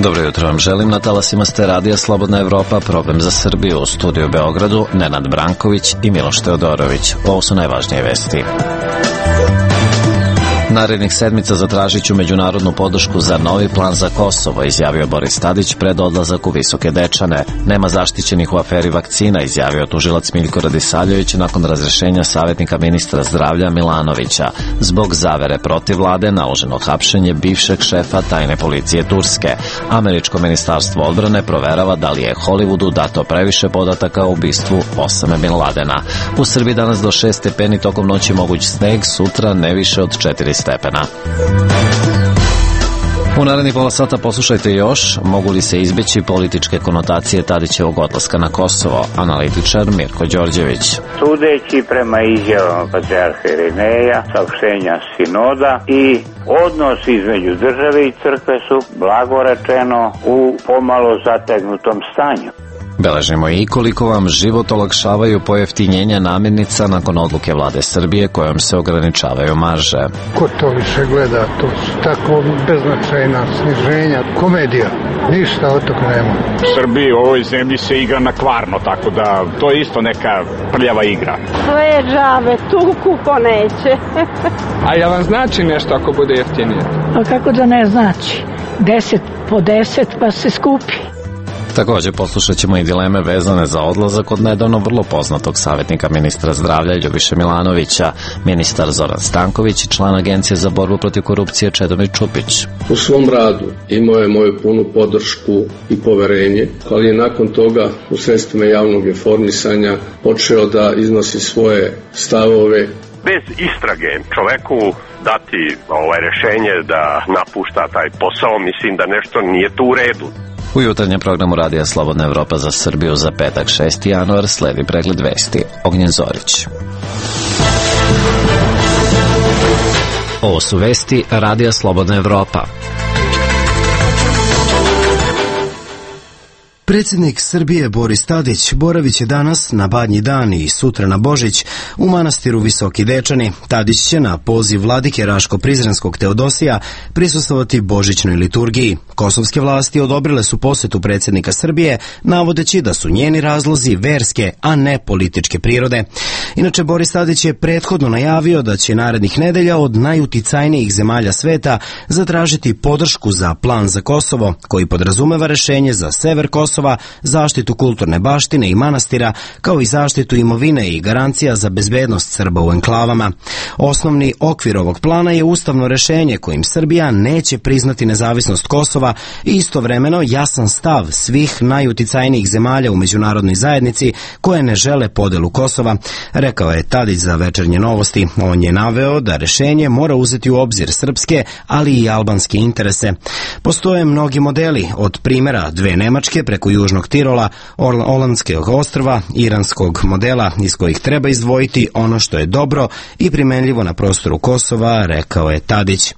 Dobro jutro vam želim, na talasima ste Radija Slobodna Evropa, program za Srbiju, u studiju u Beogradu, Nenad Branković i Miloš Teodorović. Ovo su najvažnije vesti. Narednih sedmica zatražit ću međunarodnu podršku za novi plan za Kosovo, izjavio Boris Tadić pred odlazak u Visoke Dečane. Nema zaštićenih u aferi vakcina, izjavio tužilac Miljko Radisavljević nakon razrešenja savjetnika ministra zdravlja Milanovića. Zbog zavere protiv vlade naloženo hapšenje bivšeg šefa tajne policije Turske. Američko ministarstvo odbrane proverava da li je Hollywoodu dato previše podataka o ubistvu Osame Bin Ladena. U Srbiji danas do 6 stepeni, tokom noći moguć sneg, sutra ne više od 4 stepena. U narednih pola sata poslušajte još, mogu li se izbeći političke konotacije Tadićevog odlaska na Kosovo, analitičar Mirko Đorđević. Sudeći prema izjavama patrijarha Irineja, saopštenja sinoda i odnos između države i crkve su, blago rečeno, u pomalo zategnutom stanju. Beležimo i koliko vam život olakšavaju pojeftinjenja namirnica nakon odluke vlade Srbije kojom se ograničavaju marže. Ko to više gleda, to su tako beznačajna sniženja, komedija, ništa od toga nema. U Srbiji, u ovoj zemlji se igra na kvarno, tako da to je isto neka prljava igra. Sve džabe, tuku ko neće. A ja vam znači nešto ako bude jeftinije? A kako da ne znači? 10 po 10 pa se skupi. Također poslušat ćemo i dileme vezane za odlazak od nedavno vrlo poznatog savjetnika ministra zdravlja Ljubiše Milanovića, ministar Zoran Stanković i član Agencije za borbu protiv korupcije Čedomir Čupić. U svom radu imao je moju punu podršku i poverenje, ali je nakon toga u sredstvima javnog informisanja počeo da iznosi svoje stavove. Bez istrage čoveku dati rešenje da napušta taj posao, mislim da nešto nije tu u redu. U jutarnjem programu Radija Slobodna Evropa za Srbiju za petak 6. januar sledi pregled vesti. Ognjen Zorić. Ovo su vesti Radija Slobodna Evropa. Predsjednik Srbije Boris Tadić boravit će danas na Badnji dan i sutra na Božić u manastiru Visoki Dečani. Tadić će na poziv vladike Raško-Prizrenskog Teodosija prisustvovati božićnoj liturgiji. Kosovske vlasti odobrile su posetu predsjednika Srbije, navodeći da su njeni razlozi verske, a ne političke prirode. Inače, Boris Tadić je prethodno najavio da će narednih nedelja od najuticajnijih zemalja sveta zatražiti podršku za plan za Kosovo, koji podrazumeva rešenje za sever Kosova, zaštitu kulturne baštine i manastira, kao i zaštitu imovine i garancija za bezbednost Srba u enklavama. Osnovni okvir ovog plana je ustavno rešenje kojim Srbija neće priznati nezavisnost Kosova i istovremeno jasan stav svih najuticajnijih zemalja u međunarodnoj zajednici koje ne žele podelu Kosova, rekao je Tadić za Večernje novosti. On je naveo da rešenje mora uzeti u obzir srpske, ali i albanske interese. Postoje mnogi modeli, od primjera dve Nemačke preko Južnog Tirola, Olandskog ostrva, iranskog modela iz kojih treba izdvojiti ono što je dobro i primenljivo na prostoru Kosova, rekao je Tadić.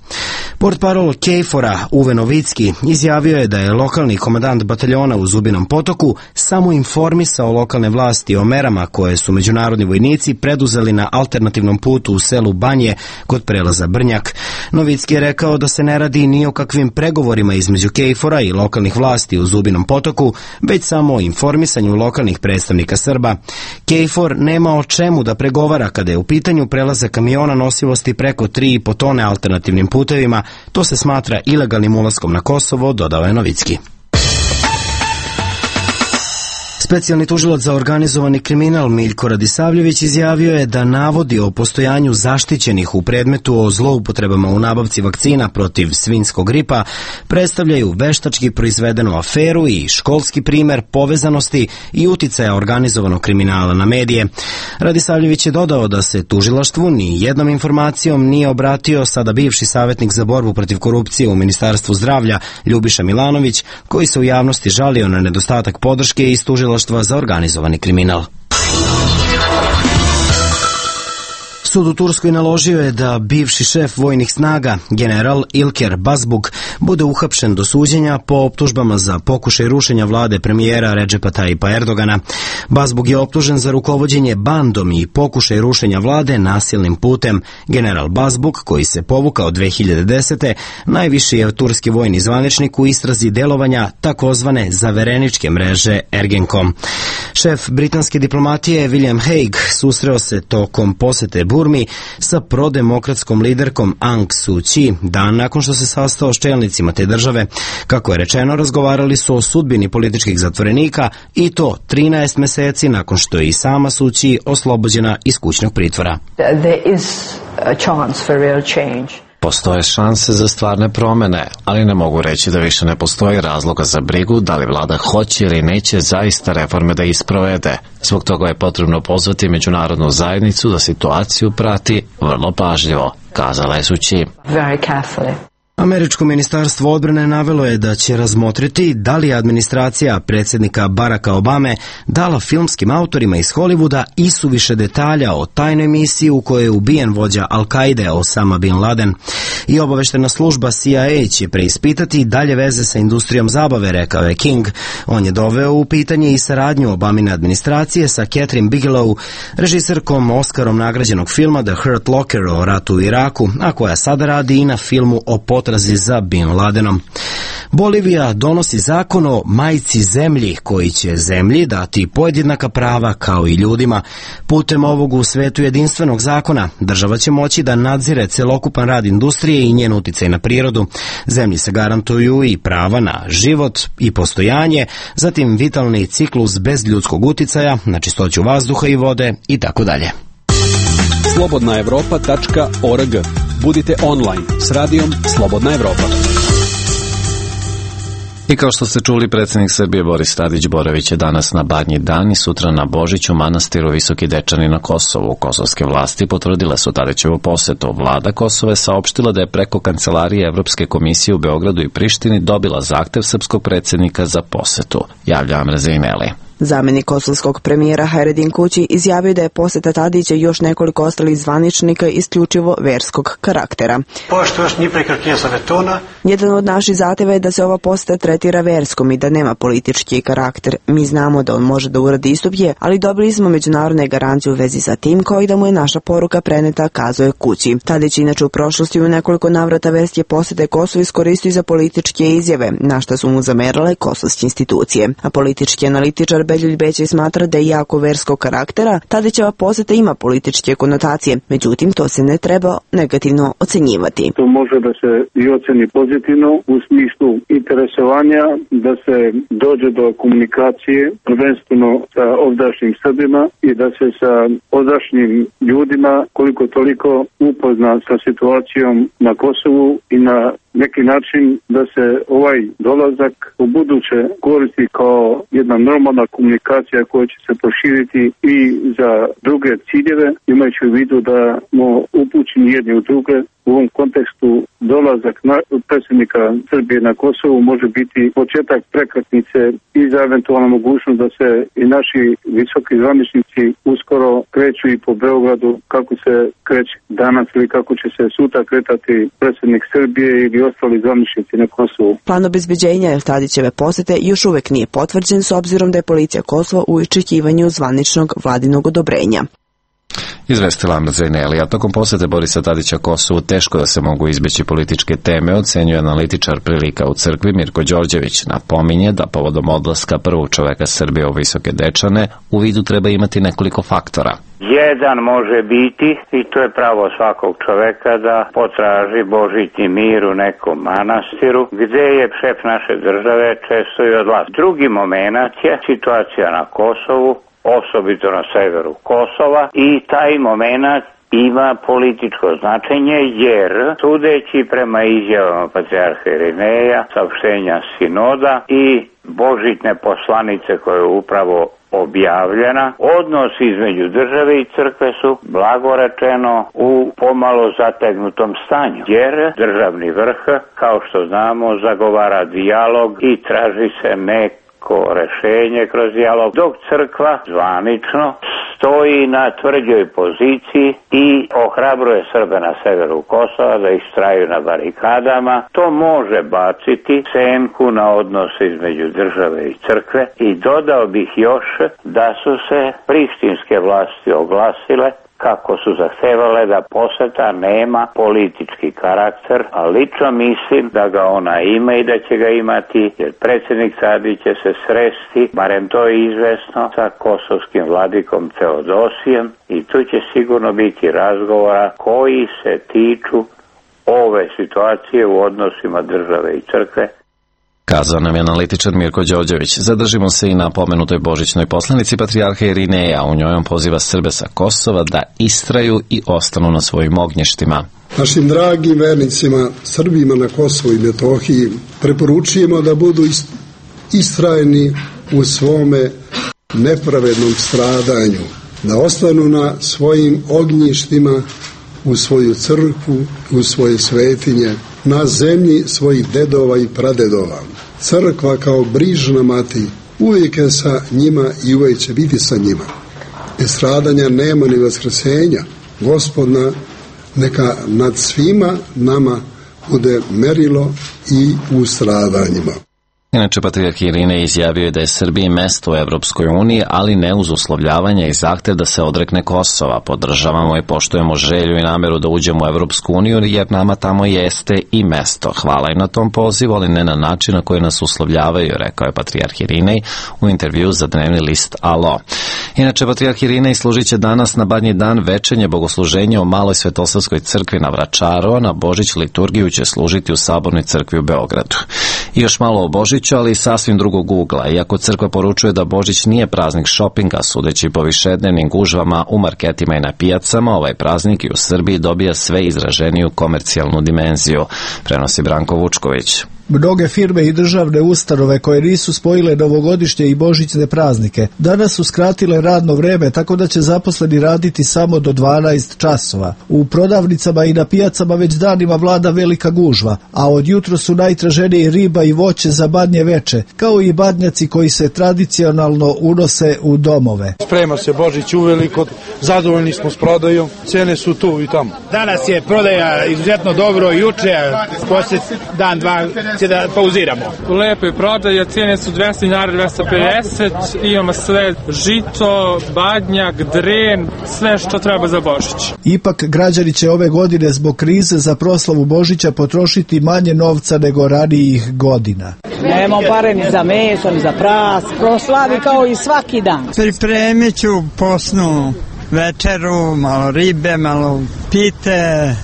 Portparol KFOR-a Uwe Novicki izjavio je da je lokalni komandant bataljona u Zubinom Potoku samo informisao lokalne vlasti o merama koje su međunarodni vojnici preduzeli na alternativnom putu u selu Banje kod prelaza Brnjak. Novicki je rekao da se ne radi ni o kakvim pregovorima između KFOR-a i lokalnih vlasti u Zubinom Potoku, već samo o informisanju lokalnih predstavnika Srba. KFOR nema o čemu da pregovara kada je u pitanju prelazak kamiona nosivosti preko 3,5 tone alternativnim putevima. To se smatra ilegalnim ulaskom na Kosovo, dodao je Novicki. Specijalni tužilac za organizovani kriminal Miljko Radisavljević izjavio je da navodi o postojanju zaštićenih u predmetu o zloupotrebama u nabavci vakcina protiv svinjskog gripa predstavljaju veštački proizvedenu aferu i školski primer povezanosti i uticaja organizovanog kriminala na medije. Radisavljević je dodao da se tužilaštvu ni jednom informacijom nije obratio sada bivši savjetnik za borbu protiv korupcije u Ministarstvu zdravlja Ljubiša Milanović, koji se u javnosti žalio na nedostatak podrške iz tužilaštva za organizovani kriminal. Sud u Turskoj naložio je da bivši šef vojnih snaga, general Ilker Bazbuk, bude uhapšen do suđenja po optužbama za pokušaj rušenja vlade premijera Redžepa Tajipa Erdogana. Bazbuk je optužen za rukovođenje bandom i pokušaj rušenja vlade nasilnim putem. General Bazbuk, koji se povukao 2010. najviši je turski vojni zvaničnik u istrazi delovanja takozvane zavereničke mreže Ergenkom. Šef britanske diplomatije William Hague susreo se tokom posete Burmi sa prodemokratskom liderkom Aung San Suu Kyi dan nakon što se sastao s čelnicima te države. Kako je rečeno, razgovarali su o sudbini političkih zatvorenika i to 13 meseci nakon što je i sama Suu Kyi oslobođena iz kućnog pritvora. Postoje šanse za stvarne promene, ali ne mogu reći da više ne postoji razloga za brigu da li vlada hoće ili neće zaista reforme da isprovede. Zbog toga je potrebno pozvati međunarodnu zajednicu da situaciju prati vrlo pažljivo, kazala je Suu Kyi. Američko ministarstvo odbrane navelo je da će razmotriti da li je administracija predsjednika Baracka Obame dala filmskim autorima iz Hollywooda isuviše detalja o tajnoj misiji u kojoj je ubijen vođa Al-Kaide Osama Bin Laden. I obaveštena služba CIA će preispitati dalje veze sa industrijom zabave, rekao je King. On je doveo u pitanje i saradnju Obamine administracije sa Catherine Bigelow, režiserkom Oskarom nagrađenog filma The Hurt Locker o ratu u Iraku, a koja sada radi i na filmu o potrazi za Bin Ladenom. Bolivija donosi zakon o majci zemlji koji će zemlji dati podjednaka prava kao i ljudima. Putem ovog u svetu jedinstvenog zakona država će moći da nadzire celokupan rad industrije i njen uticaj na prirodu. Zemlji se garantuju i prava na život i postojanje, zatim vitalni ciklus bez ljudskog uticaja, na čistoću vazduha i vode i tako dalje. slobodnaevropa.org. Budite online s radijom Slobodna Evropa. I kao što ste čuli, predsjednik Srbije Boris Tadić boravit će danas na Badnji dan i sutra na Božić u manastiru Visoki Dečani na Kosovu. Kosovske vlasti potvrdile su Tadićevu posetu. Vlada Kosova je saopštila da je preko Kancelarije Evropske komisije u Beogradu i Prištini dobila zahtev srpskog predsjednika za posetu. Javlja Amra Zejneli. Zamenik kosovskog premijera Hajredin Kući izjavio da je poseta Tadića i još nekoliko ostalih zvaničnika isključivo verskog karaktera. Jedan od naših zahteva je da se ova poseta tretira verskom i da nema politički karakter. Mi znamo da on može da uradi istupje, ali dobili smo međunarodne garancije u vezi sa tim, kao i da mu je naša poruka preneta, kazuje Kući. Tadić inače u prošlosti u nekoliko navrata verske posete Kosovo iskoristio za političke izjave, na što su mu zamerale kosovske institucije. A politički analitičar Beljulj Bećaj smatra da je jako verskog karaktera, Tadićeva poseta ima političke konotacije, međutim to se ne treba negativno ocenjivati. To može da se i oceni pozitivno u smislu interesovanja da se dođe do komunikacije prvenstveno sa ovdašnjim Srbima i da se sa ovdašnjim ljudima koliko toliko upozna sa situacijom na Kosovu i na neki način da se ovaj dolazak u buduće koristi kao jedna normalna komunikacija koja će se proširiti i za druge ciljeve, imajući u vidu da smo upućeni jedni u druge. U ovom kontekstu dolazak predsjednika Srbije na Kosovu može biti početak prekretnice i za eventualnu mogućnost da se i naši visoki zvaničnici uskoro kreću i po Beogradu kako se kreće danas ili kako će se sutra kretati predsjednik Srbije ili ostali zvaničnici na Kosovu. Plan obezbeđenja Tadićeve posete još uvek nije potvrđen s obzirom da je policija Kosova u iščekivanju zvaničnog vladinog odobrenja. Izvestila Amra Zejneli, a tokom posete Borisa Tadića Kosovu teško da se mogu izbeći političke teme, ocenjuje analitičar prilika u crkvi Mirko Đorđević. Napominje da povodom odlaska prvog čoveka Srbije u Visoke Dečane u vidu treba imati nekoliko faktora. Jedan može biti, i to je pravo svakog čoveka, da potraži božitni mir u nekom manastiru, gde je šef naše države često i odlazi. Drugi moment je situacija na Kosovu, osobito na severu Kosova, i taj moment ima političko značenje jer, sudeći prema izjavama patrijarha Irineja, saopštenja sinoda i božitne poslanice koja je upravo objavljena, odnos između države i crkve su, blago rečeno, u pomalo zategnutom stanju, jer državni vrh, kao što znamo, zagovara dijalog i traži se neko rešenje kroz dijalog, dok crkva zvanično stoji na tvrđoj poziciji i ohrabruje Srbe na severu Kosova da istraju na barikadama. To može baciti senku na odnose između države i crkve i dodao bih još da su se prištinske vlasti oglasile kako su zahtevale da poseta nema politički karakter, a lično mislim da ga ona ima i da će ga imati, jer predsjednik Tadić će se sresti, barem to je izvesno, sa kosovskim vladikom Teodosijem i tu će sigurno biti razgovora koji se tiču ove situacije u odnosima države i crkve. Kazao nam je analitičar Mirko Đorđević. Zadržimo se i na pomenutoj božićnoj poslanici patrijarha Irineja. U njoj on poziva Srbe sa Kosova da istraju i ostanu na svojim ognjištima. Našim dragim vernicima, Srbima na Kosovu i Metohiji, preporučujemo da budu istrajni u svome nepravednom stradanju, da ostanu na svojim ognjištima, u svoju crkvu, u svoje svetinje, na zemlji svojih dedova i pradedova. Crkva kao brižna mati uvijek je sa njima i uvijek će biti sa njima. Bez stradanja nema ni vaskrsenja. Gospodna neka nad svima nama bude merilo i u stradanjima. Inače, patrijarh Irinej izjavio je da je Srbiji mesto u Evropskoj uniji, ali ne uz uslovljavanja i zahtev da se odrekne Kosova. Podržavamo i poštujemo želju i nameru da uđemo u Evropsku uniju, jer nama tamo jeste i mesto. Hvala i na tom pozivu, ali ne na način na koji nas uslovljavaju, rekao je patrijarh Irinej u intervju za dnevni list Alo. Inače, patrijarh Irinej služit će danas na Badnji dan večernje bogosluženje u Maloj Svetosavskoj crkvi na Vračaru, a na Božić liturgiju će služiti u Sabornoj crkvi u Beogradu. I još malo o Božiću, ali sasvim drugog ugla. Iako crkva poručuje da Božić nije praznik šopinga, sudeći po višednevnim gužvama u marketima i na pijacama, ovaj praznik i u Srbiji dobija sve izraženiju komercijalnu dimenziju, prenosi Branko Vučković. Mnoge firme i državne ustanove koje nisu spojile novogodišnje i božićne praznike danas su skratile radno vreme, tako da će zaposleni raditi samo do 12 časova. U prodavnicama i na pijacama već danima vlada velika gužva, a od jutro su najtraženiji riba i voće za badnje veče, kao i badnjaci koji se tradicionalno unose u domove. Sprema se Božić uveliko, zadovoljni smo s prodajom, cene su tu i tamo. Danas je prodaja izuzetno dobro, juče, poslije dan, dva, da pauziramo. U lepoj prodaji, cijene su 200 dinara, 250, imamo sve žito, badnjak, dren, sve što treba za Božić. Ipak građani će ove godine zbog krize za proslavu Božića potrošiti manje novca nego ranijih godina. Nemamo pare ni za meso, ni za pras, proslavi kao i svaki dan. Pripremit ću posnu večeru, malo ribe, malo pite.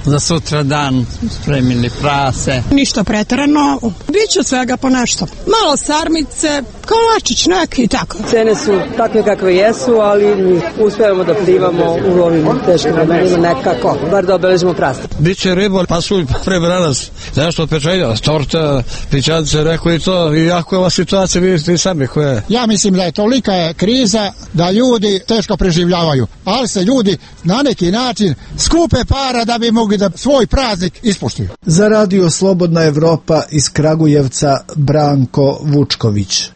Za sutra dan spremili prase. Ništa preterano, biće svega po nešto. Malo sarmice, kolačić neki i tako. Cene su takve kakve jesu, ali uspevamo da plivamo u ovim teškim vremenima nekako, bar da obeležimo prase. Biće riba, pasulj, prebranas, nešto pečenja, torta, pićance, rekao i to. I jako je ova situacija, vidite i sami koja je. Ja mislim da je tolika kriza da ljudi teško preživljavaju, ali se ljudi na neki način skupe para da bi mogli da svoj praznik ispoštuju. Za Radio Slobodna Evropa iz Kragujevca Branko Vučković.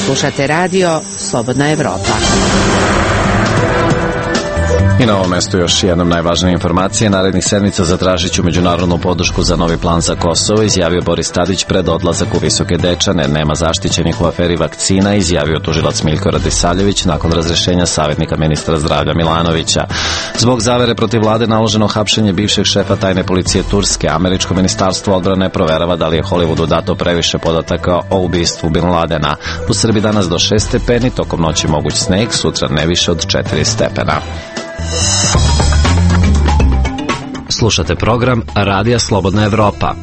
Slušate Radio Slobodna Evropa. I na ovom mestu još jednom najvažnije informacije. Narednih sedmica zatražit ću međunarodnu podršku za novi plan za Kosovo, izjavio Boris Tadić pred odlazak u Visoke Dečane. Nema zaštićenih u aferi vakcina, izjavio tužilac Miljko Radisavljević nakon razrešenja savjetnika ministra zdravlja Milanovića. Zbog zavere protiv vlade naloženo hapšenje bivšeg šefa tajne policije Turske. Američko ministarstvo odbrane proverava da li je Hollywoodu dato previše podataka o ubistvu Bin Ladena. U Srbiji danas do 6 stepeni, tokom noći moguć sneg, sutra ne više od 4 stepena. Slušate program Radija Slobodna Evropa.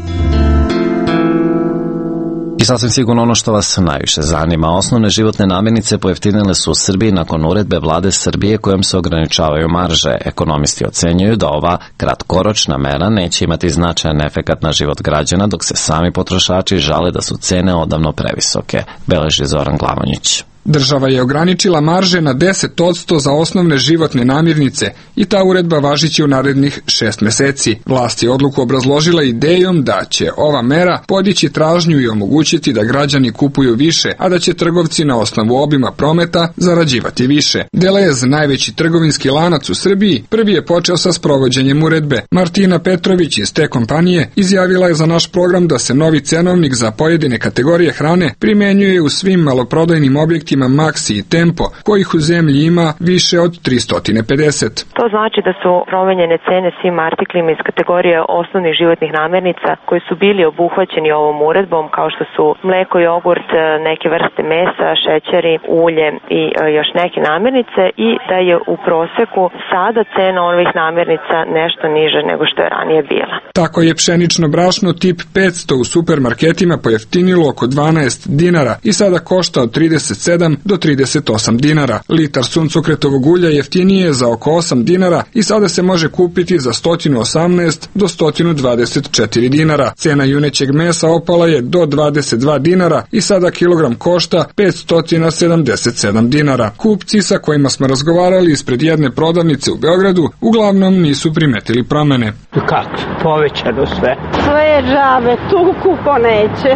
I sasvim sigurno ono što vas najviše zanima. Osnovne životne namirnice pojeftinile su u Srbiji nakon uredbe vlade Srbije kojom se ograničavaju marže. Ekonomisti ocenjuju da ova kratkoročna mera neće imati značajan efekat na život građana, dok se sami potrošači žale da su cene odavno previsoke, beleži Zoran Glavonjić. Država je ograničila marže na 10% za osnovne životne namirnice i ta uredba važiće u narednih 6 meseci. Vlast je odluku obrazložila idejom da će ova mera podići tražnju i omogućiti da građani kupuju više, a da će trgovci na osnovu obima prometa zarađivati više. Delez, najveći trgovinski lanac u Srbiji, prvi je počeo sa sprovođenjem uredbe. Martina Petrović iz te kompanije izjavila je za naš program da se novi cenovnik za pojedine kategorije hrane primenjuje u svim maloprodajnim objektima Maxi i Tempo, kojih u zemlji ima više od 350. To znači da su promenjene cene svim artiklima iz kategorije osnovnih životnih namirnica koji su bili obuhvaćeni ovom uredbom, kao što su mleko, jogurt, neke vrste mesa, šećeri, ulje i još neke namirnice, i da je u proseku sada cena ovih namirnica nešto niža nego što je ranije bila. Tako je pšenično brašno tip 500 u supermarketima pojeftinilo oko 12 dinara i sada košta od 37 do 38 dinara. Litar suncokretovog ulja jeftinije je za oko 8 dinara i sada se može kupiti za 118 do 124 dinara. Cena junećeg mesa opala je do 22 dinara i sada kilogram košta 577 dinara. Kupci sa kojima smo razgovarali ispred jedne prodavnice u Beogradu uglavnom nisu primetili promene. Kako? Povećano sve. Sve je džabe, tuku ko neće.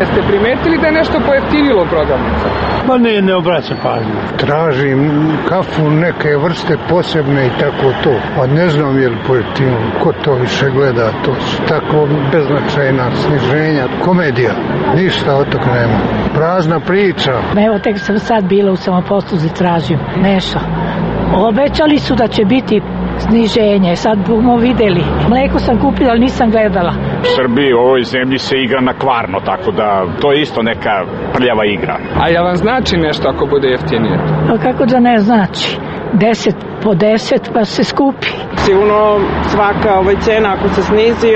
Jeste primetili da je nešto pojeftinilo u prodavnica? Pa ne obraćam pažnju. Tražim kafu neke vrste posebne i tako to. Pa ne znam je li pojeftinilo. Ko to više gleda? To su tako beznačajna sniženja. Komedija. Ništa od toga nema. Prazna priča. Evo, tek sam sad bila u samoposluzi, tražim nešto. Obećali su da će biti sniženje, sad bomo videli. Mleko sam kupila, ali nisam gledala. U Srbiji, u ovoj zemlji se igra na kvarno, tako da to je isto neka prljava igra. A ja vam znači nešto ako bude jeftinije? A kako da ne znači? 10 po 10 pa se skupi. Sigurno svaka cena ako se snizi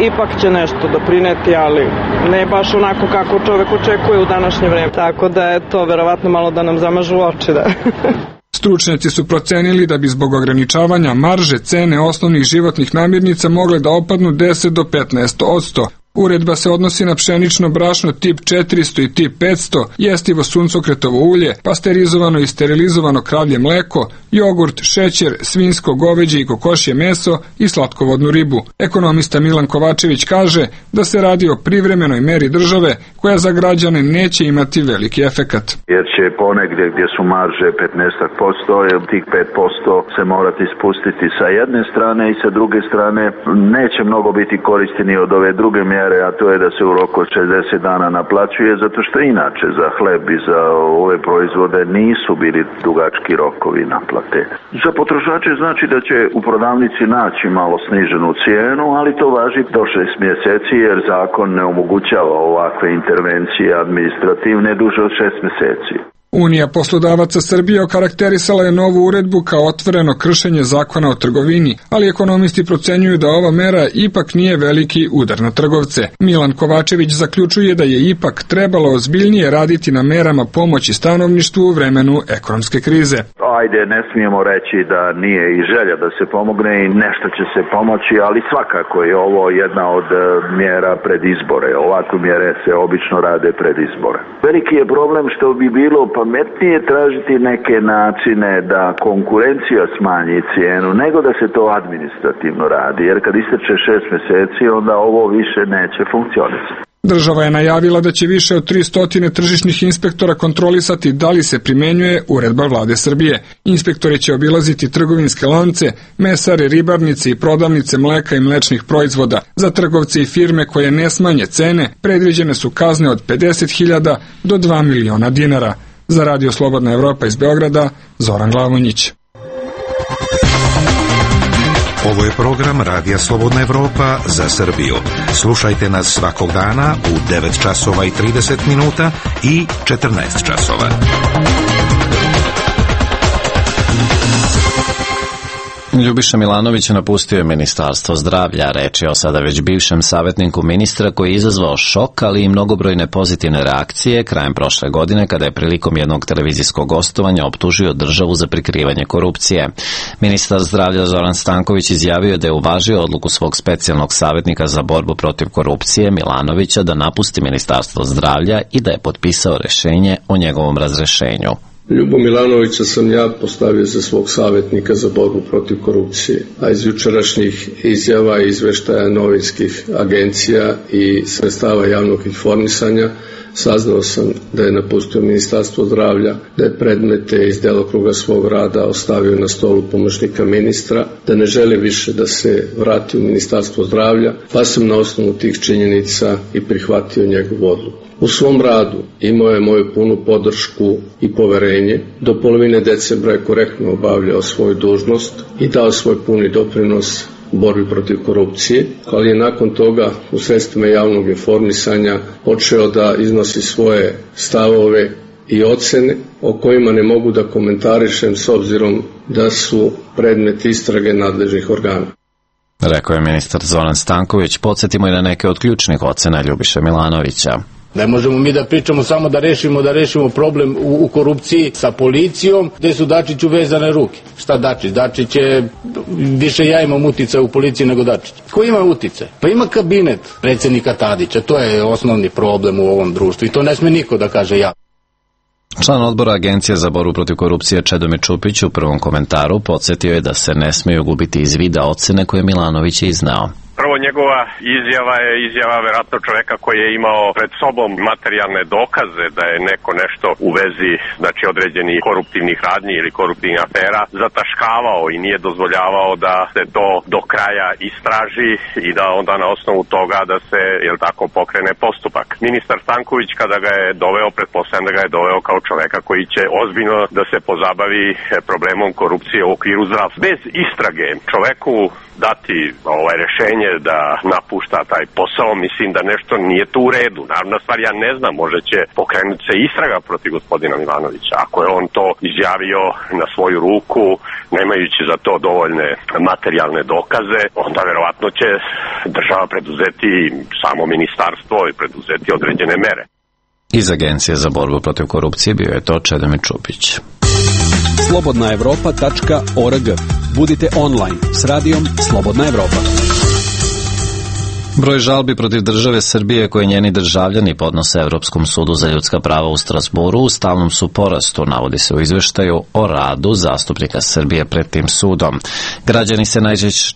ipak će nešto doprineti, ali ne baš onako kako čovek očekuje u današnje vreme. Tako da je to verovatno malo da nam zamažu oči. Da. Stručnjaci su procenili da bi zbog ograničavanja marže cene osnovnih životnih namirnica mogle da opadnu 10 do 15%. Uredba se odnosi na pšenično brašno tip 400 i tip 500, jestivo suncokretovo ulje, pasterizovano i sterilizovano kravlje mleko, jogurt, šećer, svinjsko, goveđe i kokošje meso i slatkovodnu ribu. Ekonomista Milan Kovačević kaže da se radi o privremenoj meri države koja za građane neće imati veliki efekat. Jer će ponegdje gdje su marže 15%, jer tih 5% se morati spustiti sa jedne strane i sa druge strane neće mnogo biti koristeni od ove druge mjere, a to je da se u roku od 60 dana naplaćuje, zato što inače za hleb i za ove proizvode nisu bili dugački rokovi naplate. Za potrošače znači da će u prodavnici naći malo sniženu cijenu, ali to važi do 6 mjeseci jer zakon ne omogućava ovakve intervencije administrativne duže od 6 mjeseci. Unija poslodavaca Srbije okarakterisala je novu uredbu kao otvoreno kršenje zakona o trgovini, ali ekonomisti procenjuju da ova mera ipak nije veliki udar na trgovce. Milan Kovačević zaključuje da je ipak trebalo ozbiljnije raditi na merama pomoći stanovništvu u vremenu ekonomske krize. Ajde, ne smijemo reći da nije i želja da se pomogne i nešto će se pomoći, ali svakako je ovo jedna od mjera pred izbore. Ovakve mjere se obično rade pred izbore. Veliki je problem što bi bilo pametnije tražiti neke načine da konkurencija smanji cijenu, nego da se to administrativno radi, jer kad isteče 6 mjeseci, onda ovo više neće funkcionisati. Država je najavila da će više od 300 tržišnih inspektora kontrolisati da li se primenjuje uredba Vlade Srbije. Inspektori će obilaziti trgovinske lance, mesare, ribarnice i prodavnice mleka i mlečnih proizvoda. Za trgovce i firme koje ne smanje cene, predviđene su kazne od 50.000 do 2 miliona dinara. Za Radio Slobodna Evropa iz Beograda, Zoran Glavonjić. Ovo je program Radija Slobodna Evropa za Srbiju. Slušajte nas svakog dana u 9 časova i 30 minuta i 14 časova. Ljubiša Milanović napustio je Ministarstvo zdravlja. Reč je o sada već bivšem savjetniku ministra koji je izazvao šok, ali i mnogobrojne pozitivne reakcije krajem prošle godine kada je prilikom jednog televizijskog gostovanja optužio državu za prikrivanje korupcije. Ministar zdravlja Zoran Stanković izjavio da je uvažio odluku svog specijalnog savjetnika za borbu protiv korupcije Milanovića da napusti Ministarstvo zdravlja i da je potpisao rješenje o njegovom razrešenju. Ljubo Milanovića sam ja postavio za svog savjetnika za borbu protiv korupcije, a iz jučerašnjih izjava i izveštaja novinskih agencija i sredstava javnog informisanja saznao sam da je napustio Ministarstvo zdravlja, da je predmete iz delokruga svog rada ostavio na stolu pomoćnika ministra, da ne želi više da se vrati u Ministarstvo zdravlja, pa sam na osnovu tih činjenica i prihvatio njegovu odluku. U svom radu imao je moju punu podršku i poverenje. Do polovine decembra je korektno obavljao svoju dužnost i dao svoj puni doprinos borbi protiv korupcije, ali je nakon toga u sredstvima javnog informisanja počeo da iznosi svoje stavove i ocene o kojima ne mogu da komentarišem s obzirom da su predmet istrage nadležnih organa. Rekao je ministar Zoran Stanković. Podsjetimo i na neke od ključnih ocena Ljubiše Milanovića. Ne možemo mi da pričamo samo da rešimo problem u korupciji sa policijom, gde su Dačiću vezane ruke. Šta Dačić? Dačić je, više ja imam uticaj u policiji nego Dačić. Ko ima uticaj? Pa ima kabinet predsjednika Tadića, to je osnovni problem u ovom društvu i to ne sme niko da kaže ja. Član odbora Agencije za borbu protiv korupcije Čedomir Čupić u prvom komentaru podsjetio je da se ne smiju gubiti iz vida ocene koje Milanović je izneo. Prvo, njegova izjava je izjava verovatno čoveka koji je imao pred sobom materijalne dokaze da je neko nešto u vezi, znači, određenih koruptivnih radnji ili koruptivnih afera zataškavao i nije dozvoljavao da se to do kraja istraži i da onda na osnovu toga da se, jel tako, pokrene postupak. Ministar Stanković kada ga je doveo, pretpostavljam da ga je doveo kao čoveka koji će ozbiljno da se pozabavi problemom korupcije u okviru zdravstva. Bez istrage čoveku dati rešenje da napušta taj posao, mislim da nešto nije tu u redu. Naravno stvar, ja ne znam, možda će pokrenuti se istraga protiv gospodina Milanovića. Ako je on to izjavio na svoju ruku, nemajući za to dovoljne materijalne dokaze, onda verovatno će država preduzeti, samo ministarstvo i preduzeti određene mere. Iz Agencije za borbu protiv korupcije bio je to Čedomir Čupić. slobodnaevropa.org. Budite online s radijom Slobodna Evropa. Broj žalbi protiv države Srbije koje njeni državljani podnose Evropskom sudu za ljudska prava u Strasburu u stalnom su porastu, navodi se u izveštaju o radu zastupnika Srbije pred tim sudom. Građani se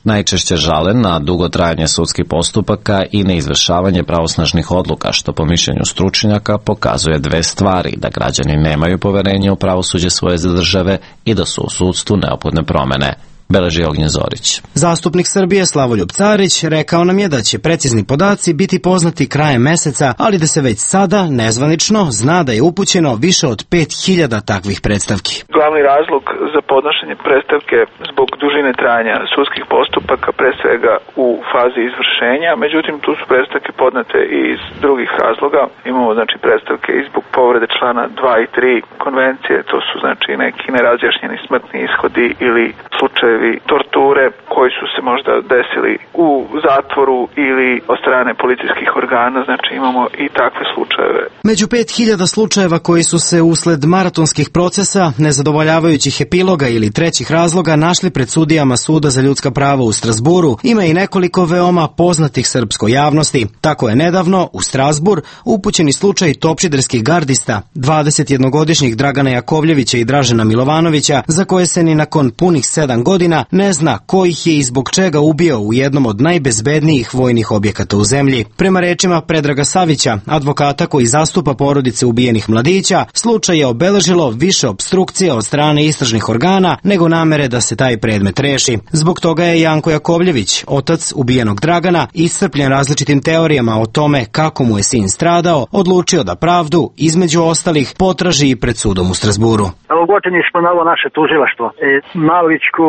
najčešće žale na dugo trajanje sudskih postupaka i neizvršavanje pravosnažnih odluka, što po mišljenju stručnjaka pokazuje dve stvari: da građani nemaju poverenje u pravosuđe svoje države i da su u sudstvu neophodne promene. Beleži Ognjen Zorić. Zastupnik Srbije Slavoljub Carić rekao nam je da će precizni podaci biti poznati krajem meseca, ali da se već sada nezvanično zna da je upućeno više od 5000 takvih predstavki. Glavni razlog za podnošenje predstavke zbog dužine trajanja sudskih postupaka, pre svega u fazi izvršenja, međutim tu su predstavke podnete i iz drugih razloga. Imamo znači predstavke i zbog povrede člana 2 i 3 konvencije, to su znači neki nerazjašnjeni smrtni ishodi ili slučajevi torture koji su se možda desili u zatvoru ili od strane policijskih organa, znači imamo i takve slučajeve. Među 5000 slučajeva koji su se usled maratonskih procesa, nezadovoljavajućih epiloga ili trećih razloga našli pred sudijama Suda za ljudska prava u Strasburu, ima i nekoliko veoma poznatih srpskoj javnosti. Tako je nedavno u Strasbur upućeni slučaj topčiderskih gardista, 21-godišnjih Dragana Jakovljevića i Dražena Milovanovića, za koje se ni nakon punih 7 godina ne zna ko ih je i zbog čega ubio u jednom od najbezbednijih vojnih objekata u zemlji. Prema rečima Predraga Savića, advokata koji zastupa porodice ubijenih mladića, slučaj je obeležilo više opstrukcija od strane istražnih organa nego namere da se taj predmet reši. Zbog toga je Janko Jakovljević, otac ubijenog Dragana, iscrpljen različitim teorijama o tome kako mu je sin stradao, odlučio da pravdu, između ostalih, potraži i pred sudom u Strasburu. Ogorčeni smo na ovo naše tužilaštvo. Malićku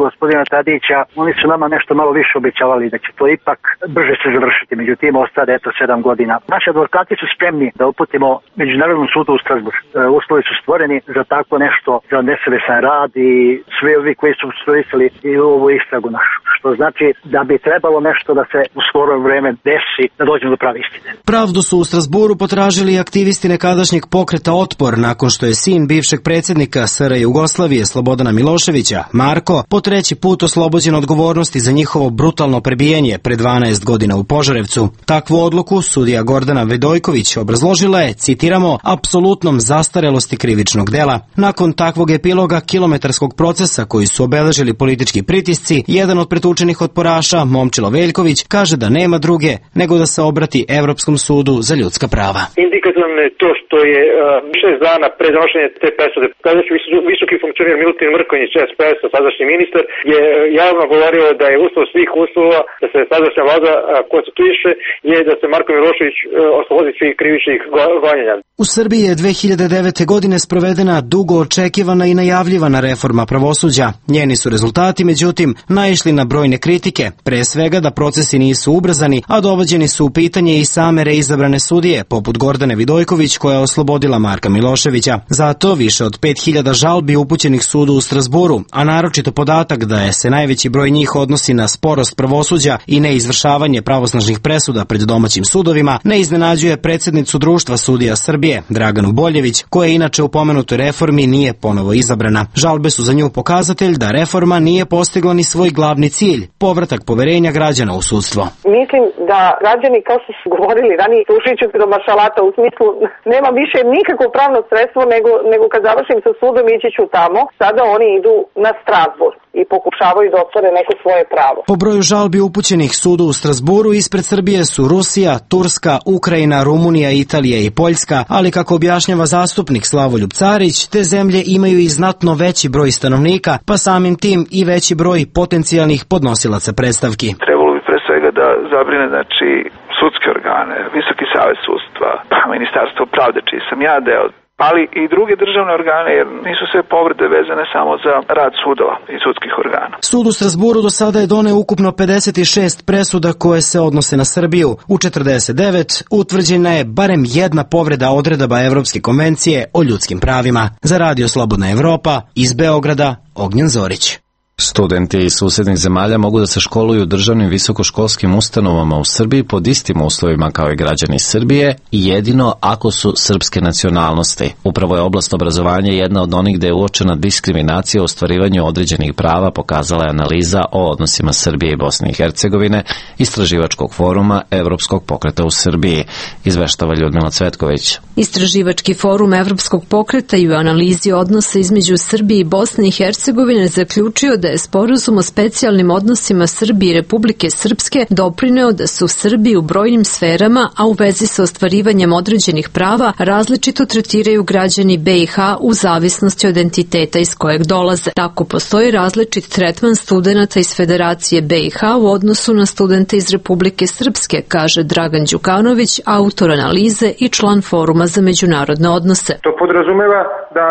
gospodina Tadića, oni su nama nešto malo više obećavali da će to ipak brže se završiti, međutim ostade 7 godina. Naši advokati su spremni da uputimo Međunarodnom sudu u Strasbourg. Uslovi su stvoreni za tako nešto, za nesavesan rad i svi ovi koji su obstruisali i ovu istragu našu. Što znači da bi trebalo nešto da se u skoro vreme desi, da dođemo do prave istine. Pravdu su u Strasburu potražili aktivisti nekadašnjeg pokreta Otpor nakon što je sin bivšeg predsjednika SR Jugoslavije Slobodana Miloševića, Marko, po 3. put oslobođen odgovornosti za njihovo brutalno prebijanje pre 12 godina u Požarevcu. Takvu odluku sudija Gordana Vedojković obrazložila je, citiramo, apsolutnom zastarelosti krivičnog dela. Nakon takvog epiloga kilometarskog procesa koji su obeležili politički pritisci, jedan od pretučenih otporaša, Momčilo Veljković, kaže da nema druge nego da se obrati Evropskom sudu za ljudska prava. Indikativno je to što je 6 dana pre donošenja te presude tadašnji visoki funkcioner Milutin Mrkonjić, SPS, sadašnji ministar, je javno govorio da je uslov svih uslova da se sadašnja vlada konstituiše je da se Marko Milošević oslobodi svih krivičnih gonjenja. U Srbiji je 2009. godine sprovedena dugo očekivana i najavljivana reforma pravosuđa. Njeni su rezultati, međutim, naišli na brojne kritike, pre svega da procesi nisu ubrzani, a dovođeni su u pitanje i same reizabrane sudije, poput Gordane Vidojković koja je oslobodila Marka Miloševića. Zato više od 5000 žalbi upućenih sudu u Strasburu, a naročito podatak da je se najveći broj njih odnosi na sporost pravosuđa i neizvršavanje pravosnažnih presuda pred domaćim sudovima, ne iznenađuje predsjednicu Društva sudija Srbije, Draganu Boljević, koja inače u pomenutoj reformi nije ponovo izabrana. Žalbe su za nju pokazatelj da reforma nije postigla ni svoj glavni cilj, povratak poverenja građana u sudstvo. Mislim da građani, kao što su govorili ranije, slušajući do maršalata, u smislu nema više nikakvo pravno sredstvo nego kad završim sa sudom ići ću tamo. Sada oni idu na Strasbourg i pokušavaju da ostvare neko svoje pravo. Po broju žalbi upućenih sudu u Strasburu ispred Srbije su Rusija, Turska, Ukrajina, Rumunija, Italija i Poljska, ali kako objašnjava zastupnik Slavoljub Carić, te zemlje imaju i znatno veći broj stanovnika, pa samim tim i veći broj potencijalnih podnosilaca predstavki. Trebalo bi pre svega da zabrine, sudske organe, Visoki savet sudstva, Ministarstvo pravde, čiji sam ja deo, ali i druge državne organe, jer nisu sve povrede vezane samo za rad sudova i sudskih organa. Sud u Strasburu do sada je doneo ukupno 56 presuda koje se odnose na Srbiju. U 49 utvrđena je barem jedna povreda odredaba Evropske konvencije o ljudskim pravima. Za Radio Slobodna Evropa, iz Beograda, Ognjen Zorić. Studenti iz susednih zemalja mogu da se školuju u državnim visokoškolskim ustanovama u Srbiji pod istim uslovima kao i građani Srbije i jedino ako su srpske nacionalnosti. Upravo je oblast obrazovanja jedna od onih gde je uočena diskriminacija u ostvarivanju određenih prava, pokazala je analiza o odnosima Srbije i Bosne i Hercegovine Istraživačkog foruma Evropskog pokreta u Srbiji, izveštava Ljudmila Cvetković. Istraživački forum Evropskog pokreta i u analizi odnosa između Srbije i Bosne i Hercegovine zaključio da je sporazum o specijalnim odnosima Srbije i Republike Srpske doprineo da se u Srbiji u brojnim sferama, a u vezi sa ostvarivanjem određenih prava, različito tretiraju građani BiH u zavisnosti od entiteta iz kojeg dolaze. Tako postoji različit tretman studenata iz Federacije BiH u odnosu na studente iz Republike Srpske, kaže Dragan Đukanović, autor analize i član Foruma za međunarodne odnose. To podrazumeva da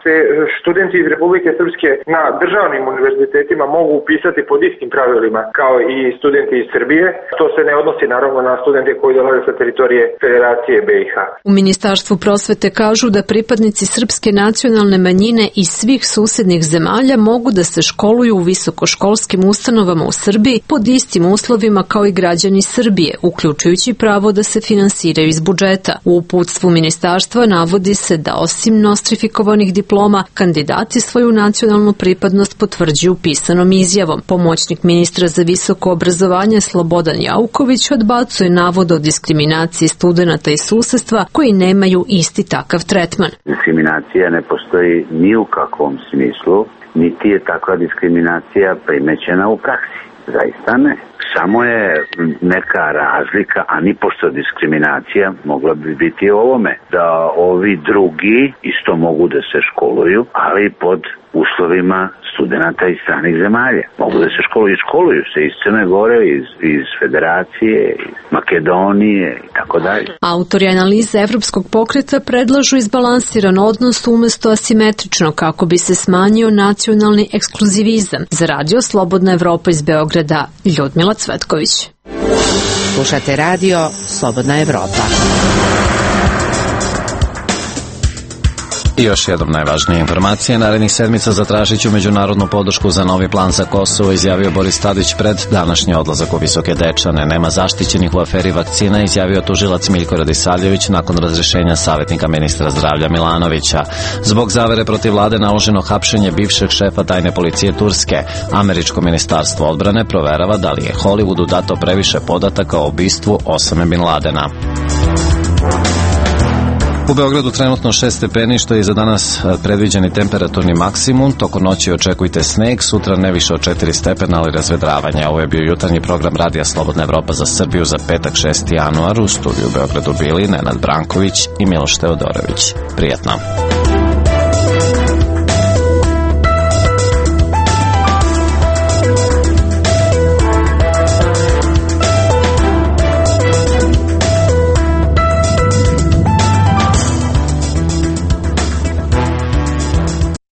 se studenti iz Republike Srpske na državnim univerzitetima mogu upisati pod istim pravilima kao i studenti iz Srbije. To se ne odnosi naravno na studente koji dolaze sa teritorije Federacije BiH. U Ministarstvu prosvete kažu da pripadnici srpske nacionalne manjine iz svih susednih zemalja mogu da se školuju u visokoškolskim ustanovama u Srbiji pod istim uslovima kao i građani Srbije, uključujući pravo da se finansiraju iz budžeta. U uputstvu ministarstva navodi se da osim nostrifikovanih diploma, kandidati svoju nacionalnu pripadnost potvrđuju pisanom izjavom. Pomoćnik ministra za visoko obrazovanje Slobodan Jauković odbacuje navod o diskriminaciji studenata iz susedstva koji nemaju isti takav tretman. Diskriminacija ne postoji ni u kakvom smislu, niti je takva diskriminacija primećena u praksi. Zaista ne. Samo je neka razlika, a ni pošto diskriminacija mogla bi biti ovome, da ovi drugi isto mogu da se školuju, ali pod uslovima studenta iz stranih zemalja. Mogu da se školuju se iz Crne Gore, iz Federacije, iz Makedonije i tako dalje. Autori analize Evropskog pokreta predlažu izbalansiran odnos umesto asimetrično kako bi se smanjio nacionalni ekskluzivizam. Za radio Slobodna Evropa iz Beograda, Ljudmila Cvetković. Slušate radio Slobodna Evropa. I još jednom najvažnije informacije. Narednih sedmica zatražit ću međunarodnu podršku za novi plan za Kosovo, izjavio Boris Tadić pred današnji odlazak u Visoke Dečane. Nema zaštićenih u aferi vakcina, izjavio tužilac Miljko Radisavljević nakon razrješenja savjetnika ministra zdravlja Milanovića. Zbog zavere protiv vlade naloženo hapšenje bivšeg šefa tajne policije Turske. Američko ministarstvo odbrane proverava da li je Hollywoodu dato previše podataka o ubistvu Osame Bin Ladena. U Beogradu trenutno 6 stepeni, što je za danas predviđeni temperaturni maksimum. Tokom noći očekujte sneg, sutra ne više od 4 stepena, ali razvedravanje. Ovo je bio jutarnji program Radija Slobodna Evropa za Srbiju za petak 6. januar. U studiju u Beogradu bili Nenad Branković i Miloš Teodorović. Prijatno.